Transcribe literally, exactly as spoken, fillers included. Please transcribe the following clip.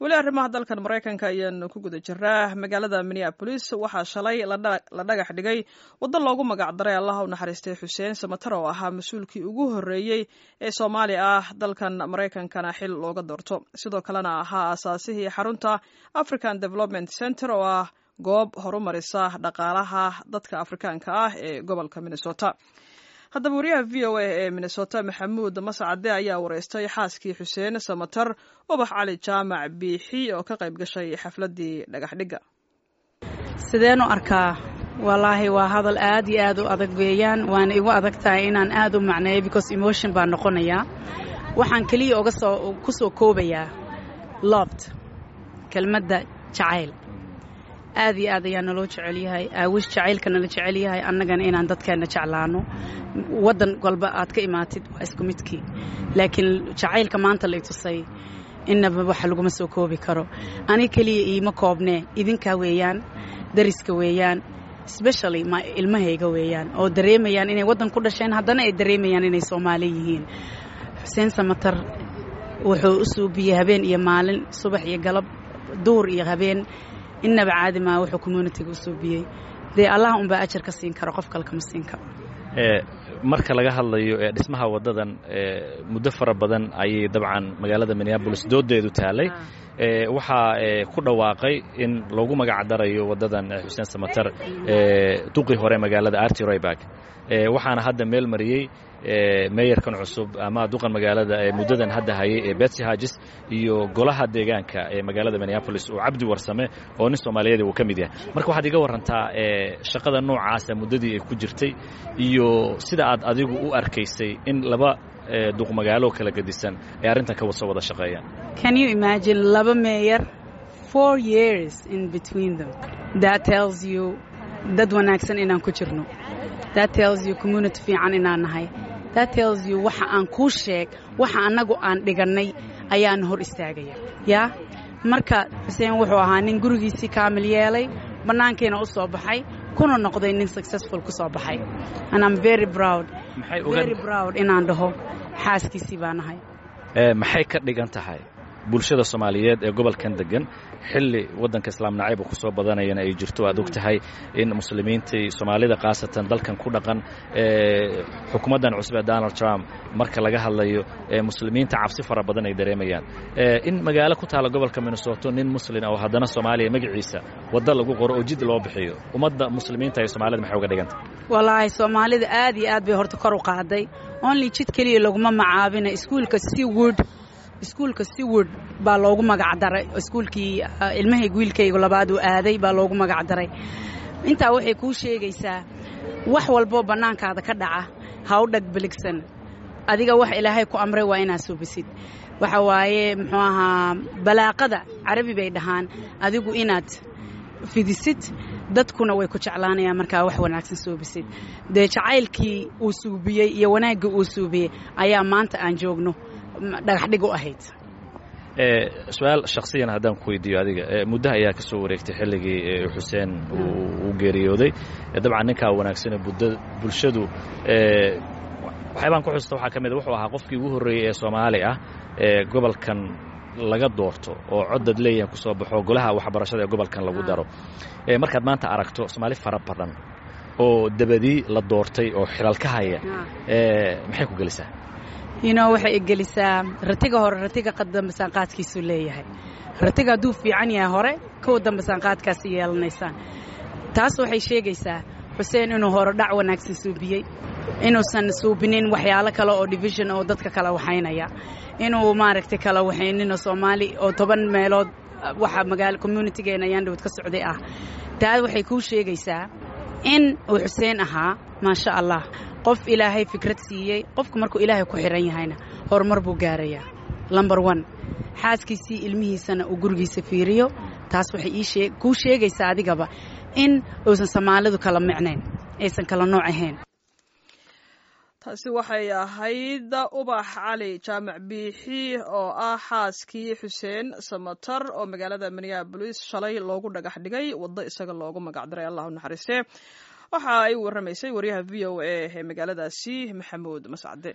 Weli arrimaha dalkan Maraykanka ayaanu ku guda jiraa. Magaalada Minneapolis waxaa shalay la dhagax dhigay waddo loogu magac daray Allaha u naxariistay Xuseen Samatar, oo ahaa mas-uulkii ugu horreeyey ee Soomaali ah dalkan Maraykankana xil looga doorto, sidoo kalena ahaa aasaasihii xarunta African Development Center, oo ah goob horumarisa dhaqaalaha dadka Afrikaanka ah ee gobolka Minnesota. Haddaba wariyaha V O A ee Minnesota, Maxamuud Mascade, ayaa wareystay xaaskii Xuseen Samatar, Ubax Cali Jaamac Biixi, oo ka qayb gashay xafladdii dhagaxdhigga. Sideen u arkaa? Wallaahi waa hadal aad iyo aad u adag weeyaan, waana igu adag tahay inaan aad u macneeyo because emotion baan noqonayaa. Waxaan keliya uga soo ku soo koobayaa loved, kelmadda jacayl. Aad iyo aad ayaa naloo jecel yahay, aawish jacaylka nala jecel yahay, annagana inaan dadkeenna jeclaano. Waddan walba aad ka imaatid waa isku midkii, laakiin jacaylka maanta lay tusay innaba waxa laguma soo koobi karo. Ani keliya iima koobnee, idinkaa weeyaan, dariska weeyaan, specially ma ilmahayga weeyaan, oo dareemayaan inay waddan ku dhasheen, haddana ay dareemayaan inay Soomaali yihiin. Xuseen Samatar wuxuu u suubiyey habeen iyo maalin, subax iyo galab, duur iyo habeen, innaba caadi maa wuxuu community ga u suubiyey. Dee Allah unbaa ajar ka siin karo, qof kale kama siin karo. Marka laga hadlayo dhismaha waddadan, muddo fara badan ayay dabcan magaalada Minneapolis doodeedu taalay. Waxaa ku dhawaaqay in loogu magac darayo waddadan Xuseen Samatar duqii hore magaalada, Artie Rybak, waxaana hadda meel mariyey meeyarkan cusub ama duqan magaalada ee muddadan hadda hayay ee Betsy Hodges iyo golaha deegaanka ee magaalada Minneapolis oo Cabdi Warsame oo nin Soomaaliyeed uu ka mid yahay. Marka waxaad iga warrantaa shaqada noocaasa muddadii ay ku jirtay iyo sida aad adigu u arkaysay in laba duq magaalo kala gedisan ay arrintan ka soo wada shaqeeyaan. Can you imagine laba mayor, four years in between them? That tells you dad wanaagsan inaan ku jirno. That tells you community fiican inaan nahay. That tells you waxa aan kuu sheeg, waxa annagu aan dhigannay ayaan hor istaagaya. Yaa marka Xuseen wuxuu ahaa nin gurigiisii kaamil yeelay, bannaankiina u soo baxay, kuna noqday nin successful ku soo baxay, and I'm very proud, very proud inaan dhaho xaaskiisii baa nahay. Maxay ka dhigan tahay bulshada Soomaaliyeed ee gobolkan degan, xilli waddanka islaam nacayba ku soo badanayana ay jirto? Aad og tahay in muslimiintii Soomaalida khaasatan dalkan ku dhaqan, xukuumaddan cusub ee Donald Trump marka laga hadlayo muslimiinta cabsi fara badan ay dareemayaan, in magaalo ku taala gobolka Minnesota nin muslin oo haddana Soomaaliya magaciisa waddo lagu qoro oo jid loo bixiyo, ummadda muslimiinta ee Soomaalida maxay uga dhigantah? Wallaahi Soomaalida aad iyo aad bay horta kor u qaaday. Only jid keliya laguma macaabina, iskuulka Seward, iskuulka Seward baa loogu magac daray. Iskuulkii ilmahayga, wiilkaygu labaad uu aaday baa loogu magac daray. Intaa waxay kuu sheegaysaa wax walboo bannaankaada ka dhaca ha u dhag biligsan. Adiga wax Ilaahay ku amray waa inaad suubisid. Waxa waaye, muxuu ahaa, balaaqada Carabi bay dhahaan, adigu inaad fidisid dadkuna way ku jeclaanayaan markaa wax wanaagsan suubisid. Dee jacaylkii uu suubiyey iyo wanaaggii uu suubiyey ayaa maanta aan joogno dhagaxdhig u ahayd. Su-aal shaksiyan haddaan ku weydiiyo adiga, muddo ayaa ka soo wareegtay xilligii Xuseen uu geeriyooday. Dabcan ninkaa wanaagsane bulshadu waxyaabaan ku xususta waxaa ka mid a wuxuu ahaa qofkii ugu horreeyey ee Soomaali ah ee gobolkan laga doorto oo codad leeyahay ku soo baxo golaha waxbarashada ee gobolkan lagu daro. Markaad maanta aragto Soomaali fara badan oo dabadii la doortay oo xilal ka haya, maxay ku gelisaa? you know waxay igelisaa ratiga hore, ratiga qadambasaan qaadkiisuu leeyahay. Ratiga hadduu fiican yahay hore, kuwa dambasaan qaadkaasi yeelanaysaan. Taas waxay sheegaysaa Xuseen inuu hore dhac wanaagsan suubiyey, inuusan suubinin waxyaalo kale oo division oo dadka kala waxaynaya, inuu maaragtay kala waxayninoo Soomaali oo toban meelood waxa magaala community geena ayaan dhawad ka socday ah. Taa waxay kuu sheegaysaa in uu Xuseen ahaa, maasha Allah, qof Ilaahay fikrad siiyey. Qofku markuu Ilaahay ku xiran yahayna horumar buu gaarayaa. Number one, xaaskiisii, ilmihiisana uu gurigiisa fiiriyo. Taas waxay ii kuu sheegaysaa adigaba in uusan Soomaalidu kala micnayn, aysan kala nooc ahayn. Taasi waxay ahayd Ubax Cali Jaamac Biixi oo ah xaaskii Xuseen Samatar, oo magaalada Minneapolis shalay loogu dhagax dhigay waddo isaga loogu magacdaray, Allah u naxariistee. Waxa ay warramaysay wariyaha V O A ee magaaladaasi, Maxamuud Mascade.